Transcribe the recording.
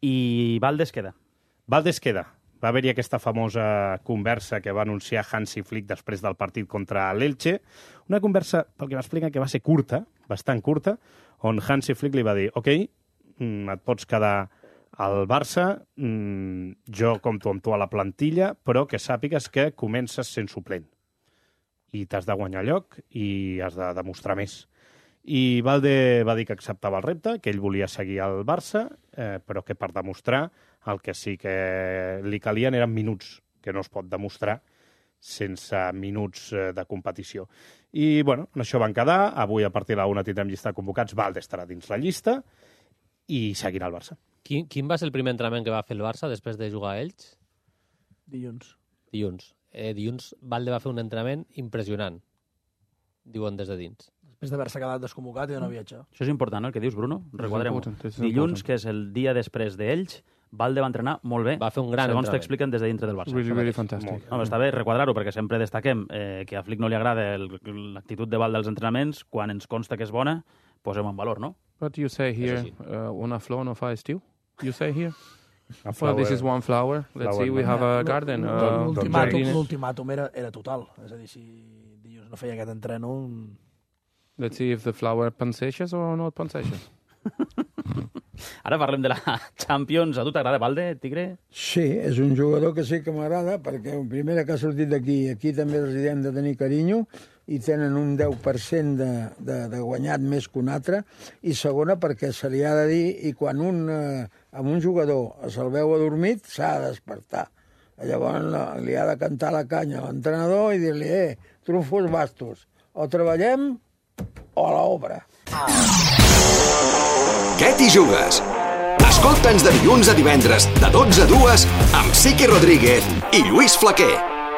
I Valdés queda. Valdés queda. Va haver-hi aquesta famosa conversa que va anunciar Hansi Flick després del partit contra l'Elche. Una conversa, pel que m'expliquen, que va ser curta, bastant curta, on Hansi Flick li va dir ok, et pots quedar al Barça, jo compto amb tu a la plantilla, però que sàpigues que comences sent suplent. I t'has de guanyar lloc i has de demostrar més. I Valde va dir que acceptava el repte, que ell volia seguir al Barça, però que per demostrar el que sí que li calien eren minuts, que no es pot demostrar sense minuts de competició. I, bueno, en això van quedar. Avui, a partir de la 1, tindrem llista de convocats. Valde estarà dins la llista i seguirà el Barça. Quin va ser el primer entrenament que va fer el Barça després de jugar a Elx? Dilluns. Dilluns Valde va fer un entrenament impressionant, diuen des de dins. Després d'haver-se quedat desconvocat i d'anar a viatjar. Això és important, no?, el que dius, Bruno. Requadrem-ho. Dilluns, que és el dia després d'ells, Valde va entrenar molt bé. Va fer un gran segons entrenament. t'expliquen des de dintre del Barça. Really fantastic. No, està bé requadrar-ho, perquè sempre destaquem que a Flick no li agrada l'actitud de Valde als entrenaments. Quan ens consta que és bona, posem en valor, no? But you say here, una flor no fa estiu? You say here? Well, this is one flower. Let's see, we have a garden. L'ultimàtum era total. És a dir, si dilluns no feia aquest entreno... Let's see if the flower pensages or not pensages. Ara parlem de la Champions. A tu t'agrada Valde, Tigre? Sí, és un jugador que sí que m'agrada, perquè primera que ha sortit d'aquí, aquí també els hi hem de tenir carinyo, i tenen un 10% de guanyat més que un altre, i segona perquè se li ha de dir, i quan amb un jugador se'l veu adormit, s'ha de despertar. Llavors li ha de cantar la canya a l'entrenador i dir-li, trufos bastos, o treballem o a l'obra. Què t'hi jugues? Escolta'ns de dilluns a divendres, de 12 a 2, amb Sique Rodríguez i Lluís Flaquer.